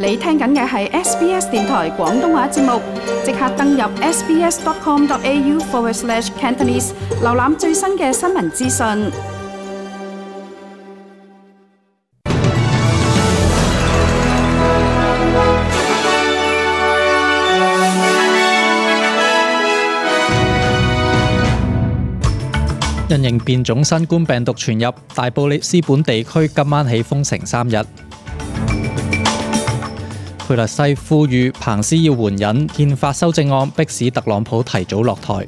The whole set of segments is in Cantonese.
你聽緊嘅係 SBS 電台廣東話節目，即刻登入 sbs.com.au/Cantonese 瀏覽最新嘅新聞資訊。因應變種新冠病毒傳入，大布里斯本地區今晚起封城3日。佩勒西呼籲彭斯要援引憲法修正案，迫使特朗普提早落台。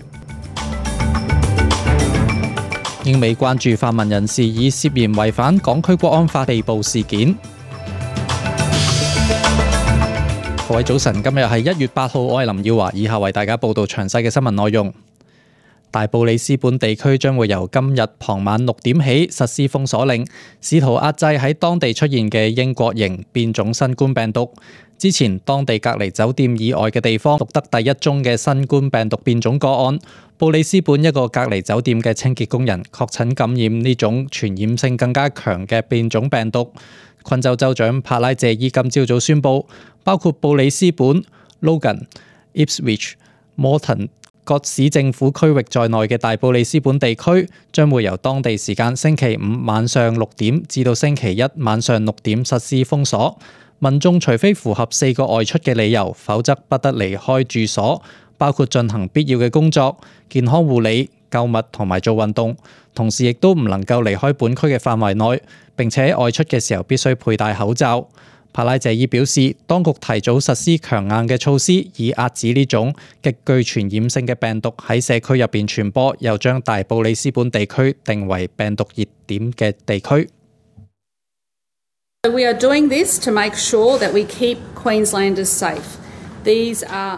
英美關注泛民人士以涉嫌違反港區國安法被捕事件。各位早晨，今日係1月8號，我係林耀華，以下為大家報道詳細嘅新聞內容。大布里斯本地區將會由今日傍晚6點起實施封鎖令，試圖壓制喺當地出現嘅英國型變種新冠病毒。之前當地隔離酒店以外嘅地方錄得第一宗嘅新冠病毒變種個案，布里斯本一個隔離酒店嘅清潔工人確診感染呢種傳染性更加強嘅變種病毒。昆州州長帕拉謝伊今朝早宣布，包括布里斯本、Logan、Ipswich、Moreton各市政府區域在內嘅大布里斯本地區將會由當地時間星期五晚上6點至到星期一晚上6點實施封鎖。民眾除非符合4個外出嘅理由，否則不得離開住所，包括進行必要嘅工作、健康護理、購物同埋做運動。同時亦都唔能夠離開本區嘅範圍內，並且外出嘅時候必須佩戴口罩。帕拉謝伊表示，當局提早實施強硬嘅措施，以壓止呢種極具傳染性嘅病毒喺社區入邊傳播，又將大布里斯本地區定為病毒熱點嘅地區。We are doing this to make sure that we keep Queenslanders safe.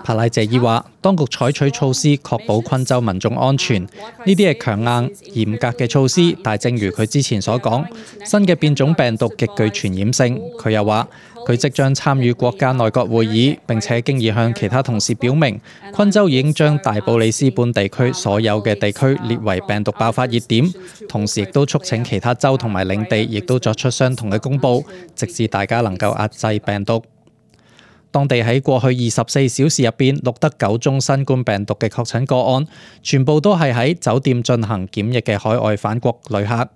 帕拉謝伊話，當局採取措施確保昆州民眾安全，呢啲係強硬嚴格嘅措施，但正如佢之前所講，新嘅變種病毒極具傳染性。佢又話，佢即將參與國家內閣會議，並且經已向其他同事表明，昆州已經將大布里斯本地區所有嘅地區列為病毒爆發熱點，同時亦都促請其他州同埋領地亦都作出相同嘅公佈，直至大家能夠壓制病毒。當地喺過去24小時入邊錄得9宗新冠病毒嘅確診個案，全部都係喺酒店進行檢疫嘅海外返國旅客。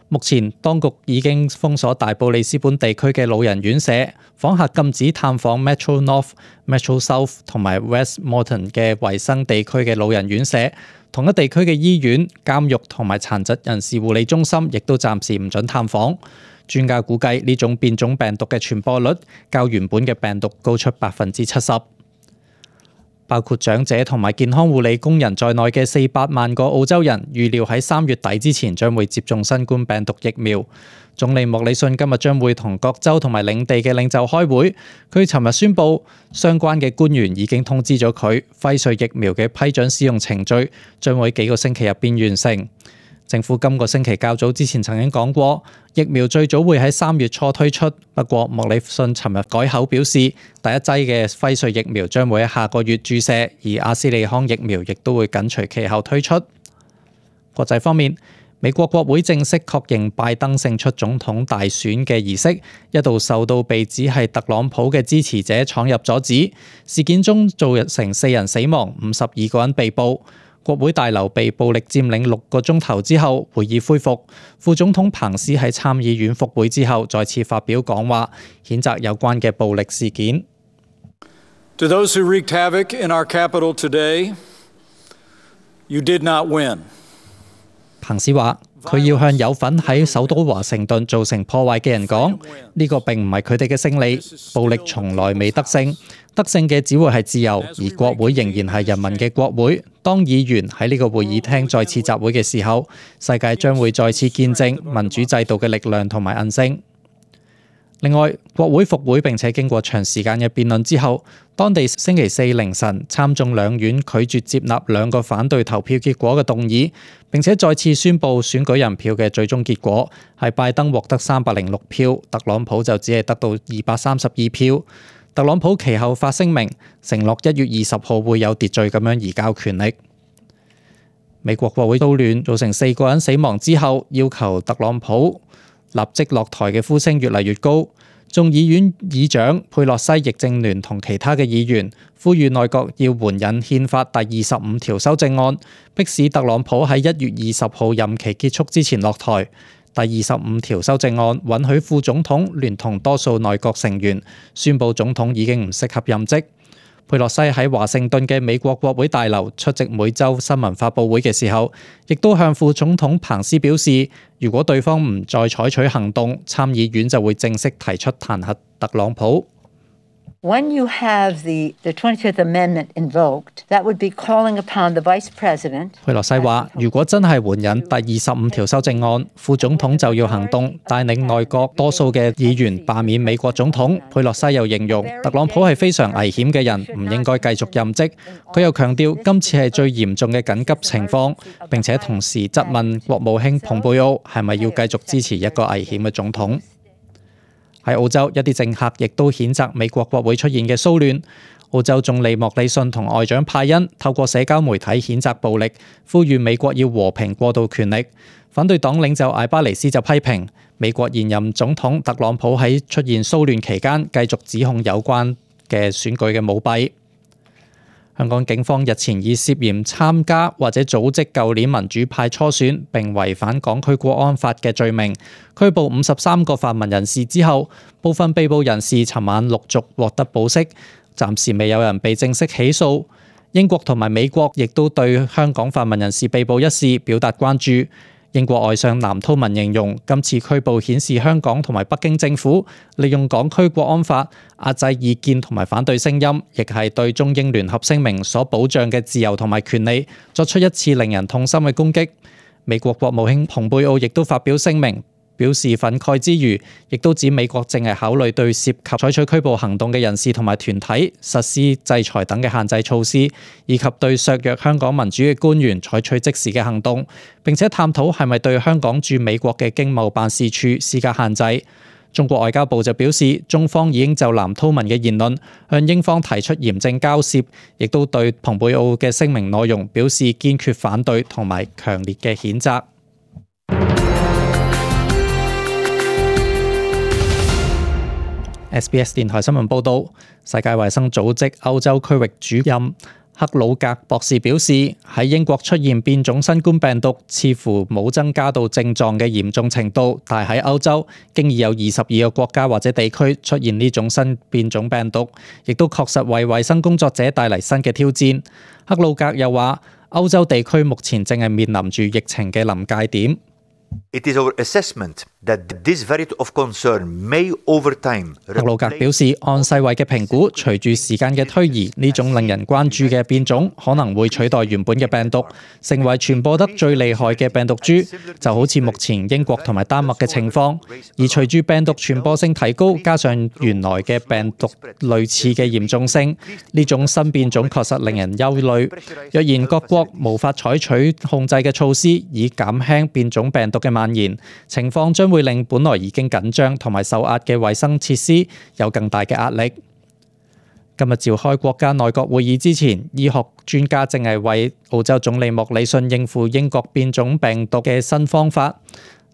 目前當局已經封鎖大布里斯本地區嘅老人院舍，訪客禁止探訪 Metro North、Metro South 同埋 West Moreton 嘅衛生地區嘅老人院舍。同一地區嘅醫院、監獄同埋殘疾人士護理中心亦都暫時唔准探訪。專家估計呢種變種病毒嘅傳播率較原本嘅病毒高出70%。包括長者同埋健康護理工人在內嘅400萬個澳洲人，預料喺3月底之前將會接種新冠病毒疫苗。總理莫里遜今日將會同各州同埋領地嘅領袖開會。佢尋日宣布，相關嘅官員已經通知咗佢，輝瑞疫苗嘅批准使用程序將會幾個星期入邊完成。政府今個星期較早之前曾經講過，疫苗最早會喺3月初推出。不過莫里遜尋日改口表示，第一劑嘅輝瑞疫苗將會喺下個月注射，而阿斯利康疫苗亦都會緊隨其後推出。國際方面，美國國會正式確認拜登勝出總統大選嘅儀式，一度受到被指係特朗普嘅支持者闖入阻止。事件中造成4人死亡，52個人被捕。國會大樓被暴力佔領6個鐘頭之後，會議恢復。副總統彭斯喺參議院復會之後，再次發表講話，譴責有關嘅暴力事件。To those who wreaked havoc in our capital today, you did not win. 彭斯話：佢要向有份喺首都華盛頓造成破壞嘅人講，呢個並唔係佢哋嘅勝利，暴力從來未得勝，得勝嘅只會係自由，而國會仍然係人民嘅國會。當議員喺呢個會議廳再次集會嘅時候，世界將會再次見證民主制度嘅力量同埋韌性。另外，國會復會並且經過長時間嘅辯論之後，當地星期四凌晨參眾兩院拒絕接納2個反對投票結果嘅動議，並且再次宣布選舉人票嘅最終結果係拜登獲得306票，特朗普就只係得到232票。特朗普其後發聲明，承諾1月20號會有秩序咁樣移交權力。美國國會騷亂造成4個人死亡之後，要求特朗普立即落台嘅呼聲越嚟越高。眾議院議長佩洛西亦正聯同其他嘅議員呼籲內閣要援引憲法第25條修正案，迫使特朗普喺1月20號任期結束之前落台。第25條修正案允許副總統聯同多數內閣成員宣布總統已經唔適合任職。佩洛西喺華盛頓嘅美國國會大樓出席每週新聞發佈會嘅時候，亦都向副總統彭斯表示，如果對方唔再採取行動，參議院就會正式提出彈劾特朗普。When you have the 25th Amendment invoked, that would be calling upon the Vice President. 佩洛西話：如果真係援引第25條修正案，副總統就要行動，帶領內閣多數嘅議員罷免美國總統。佩洛西又形容特朗普係非常危險嘅人，唔應該繼續任職。佢又強調今次係最嚴重嘅緊急情況，並且同時質問國務卿蓬佩奧係咪要繼續支持一個危險嘅總統。喺澳洲，一啲政客亦都譴責美國國會出現嘅騷亂。澳洲總理莫里遜同外長派恩透過社交媒體譴責暴力，呼籲美國要和平過渡權力。反對黨領袖艾巴尼斯就批評美國現任總統特朗普喺出現騷亂期間繼續指控有關嘅選舉嘅舞弊。香港警方日前以涉嫌參加或者組織舊年民主派初選並違反港區國安法嘅罪名，拘捕53個泛民人士之後，部分被捕人士尋晚陸續獲得保釋，暫時未有人被正式起訴。英國同埋美國亦都對香港泛民人士被捕一事表達關注。英國外相藍韜文形容今次拘捕顯示香港同埋北京政府利用港區國安法壓制意見同埋反對聲音，亦係對中英聯合聲明所保障嘅自由同埋權利作出一次令人痛心嘅攻擊。美國國務卿蓬佩奧亦都發表聲明，表示憤慨之餘，亦都指美國正係考慮對涉及採取拘捕行動嘅人士同埋團體實施制裁等嘅限制措施，以及對削弱香港民主嘅官員採取即時嘅行動，並且探討係咪對香港駐美國嘅經貿辦事處施加限制。中國外交部就表示，中方已經就藍韜文嘅言論向英方提出嚴正交涉，亦都對蓬佩奧嘅聲明內容表示堅決反對同埋強烈嘅譴責。SBS 電台新聞報導，世界衛生組織歐洲區域主任克魯格博士表示，喺英國出現變種新冠病毒，似乎冇增加到症狀嘅嚴重程度，但喺歐洲經已有22個國家或者地區出現呢種新變種病毒，亦都確實為衛生工作者帶嚟新嘅挑戰。克魯格又話，歐洲地區目前正係面臨住疫情嘅臨界點。It is our assessment that this variant of concern may over time. 克魯格表示，按世衛嘅評估，隨住時間嘅推移，呢種令人關注嘅變種可能會取代原本嘅病毒，成為傳播得最厲害嘅病毒株，就好似目前英國同埋丹麥嘅情況。而隨住病毒傳播性提高，加上原來嘅病毒類似嘅嚴重性，呢種新變種確實令人憂慮。若然各國無法採取控制嘅措施，以減輕變種病毒嘅蔓延，情況將會令本來已經緊張同埋受壓嘅衛生設施有更大嘅壓力。今日召開國家內閣會議之前，醫學專家正係為澳洲總理莫里遜應付英國變種病毒嘅新方法。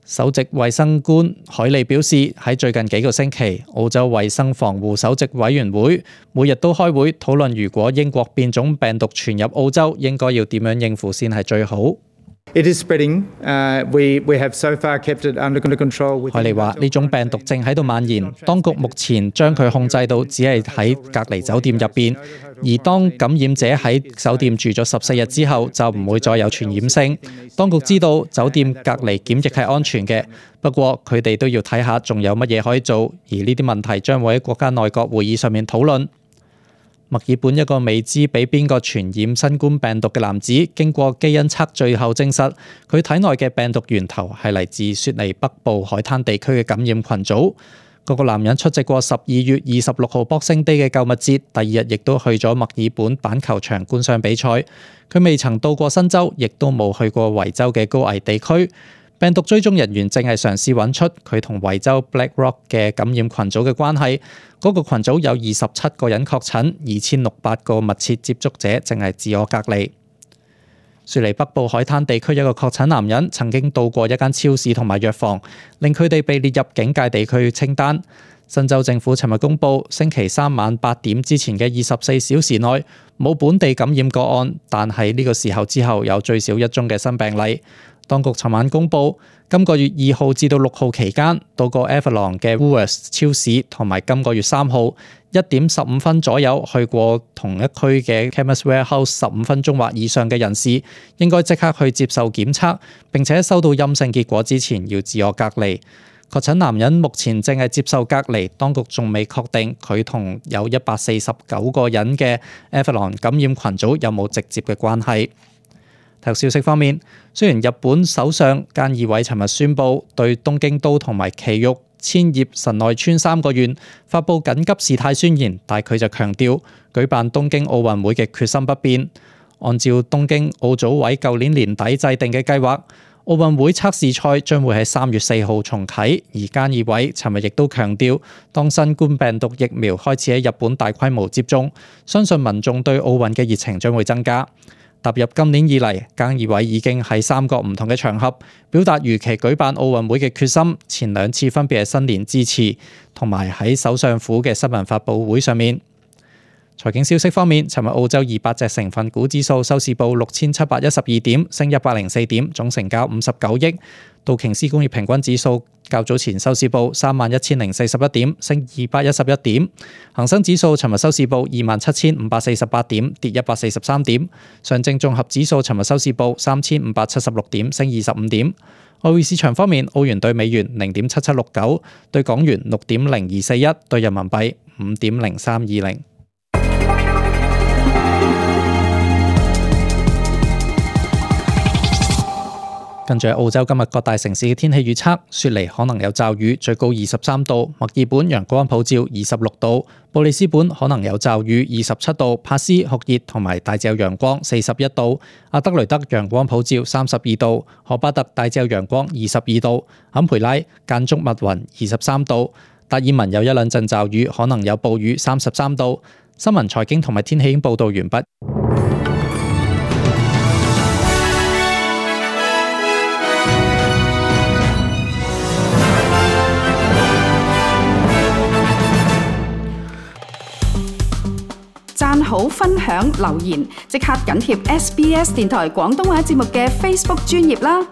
首席衛生官海利表示，喺最近幾個星期，澳洲衛生防護首席委員會每日都開會討論，如果英國變種病毒傳入澳洲，應該要點樣應付先係最好。It is spreading. We have so far kept it under control. 海利話：呢種病毒正喺度蔓延，當局目前將佢控制到只係喺隔離酒店入邊，而當感染者喺酒店住咗14日之後，就唔會再有傳染性。當局知道酒店隔離檢疫係安全嘅，不過佢哋都要睇下仲有乜嘢可以做，而呢啲問題將會喺國家內閣會議上面討論。墨爾本一個未知俾邊個傳染新冠病毒嘅男子，經過基因測最後證實，佢體內嘅病毒源頭係嚟自雪梨北部海灘地區嘅感染群組。嗰個男人出席過12月26號 Boxing Day 嘅購物節，第二日亦都去咗墨爾本板球場觀賞比賽。佢未曾到過新州，亦都冇去過維州嘅高危地區。病毒追蹤人員正係嘗試揾出佢同維州 Black Rock 嘅感染群組嘅關係。嗰個群組有27個人確診，2600個密切接觸者正係自我隔離。雪梨北部海灘地區一個確診男人曾經到過一間超市同埋藥房，令佢哋被列入警戒地區清單。新州政府尋日公布，星期三晚8點之前嘅24小時內冇本地感染個案，但係呢個時候之後有最少1宗嘅新病例。當局尋晚公布，今個月2號至到6號期間，到過 Avalon 嘅 Woolworths 超市同埋今個月3號1點15分左右去過同一區嘅 Chemist Warehouse 15分鐘或以上嘅人士，應該即刻去接受檢測，並且收到陰性結果之前要自我隔離。確診男人目前正係接受隔離，當局仲未確定佢同有149個人嘅 Avalon 感染群組有冇直接嘅關係。體育消息方面，雖然日本首相菅義偉尋日宣布對東京都同埋埼玉、千葉、神奈川3個縣發布緊急事態宣言，但佢就強調舉辦東京奧運會嘅決心不變。按照東京奧組委舊年年底制定嘅計劃，奧運會測試賽將會喺3月4號重啟，而菅義偉尋日亦都強調，當新冠病毒疫苗開始喺日本大規模接種，相信民眾對奧運嘅熱情將會增加。踏入今年以嚟，菅義偉已經喺3個唔同嘅場合表達如期舉辦奧運會嘅決心，前2次分別係新年致辭同埋喺首相府嘅新聞發佈會上面。財經消息方面，尋日澳洲200隻成分股指數收市報6712點，升104點，總成交59億。道瓊斯工業平均指數較早前收市報31041點，升211點。恒生指數尋日收市報27548點，跌143點。上證綜合指數尋日收市報3576點，升25點。外匯市場方面，澳元對美元0.7769，對港元6.0241，對人民幣5.0320。跟住澳洲今日各大城市嘅天氣預測，雪梨可能有驟雨，最高23度；墨爾本陽光普照26度；布里斯本可能有驟雨27度；帕斯酷熱同埋大致有陽光41度；阿德雷德陽光普照32度；荷巴特大致有陽光22度；坎培拉間中密雲23度；達爾文有一兩陣驟雨，可能有暴雨33度。新聞財經同埋天氣已經報道完畢。讚好、分享、留言，即刻緊貼SBS 電台廣東話節目嘅 Facebook 專頁啦！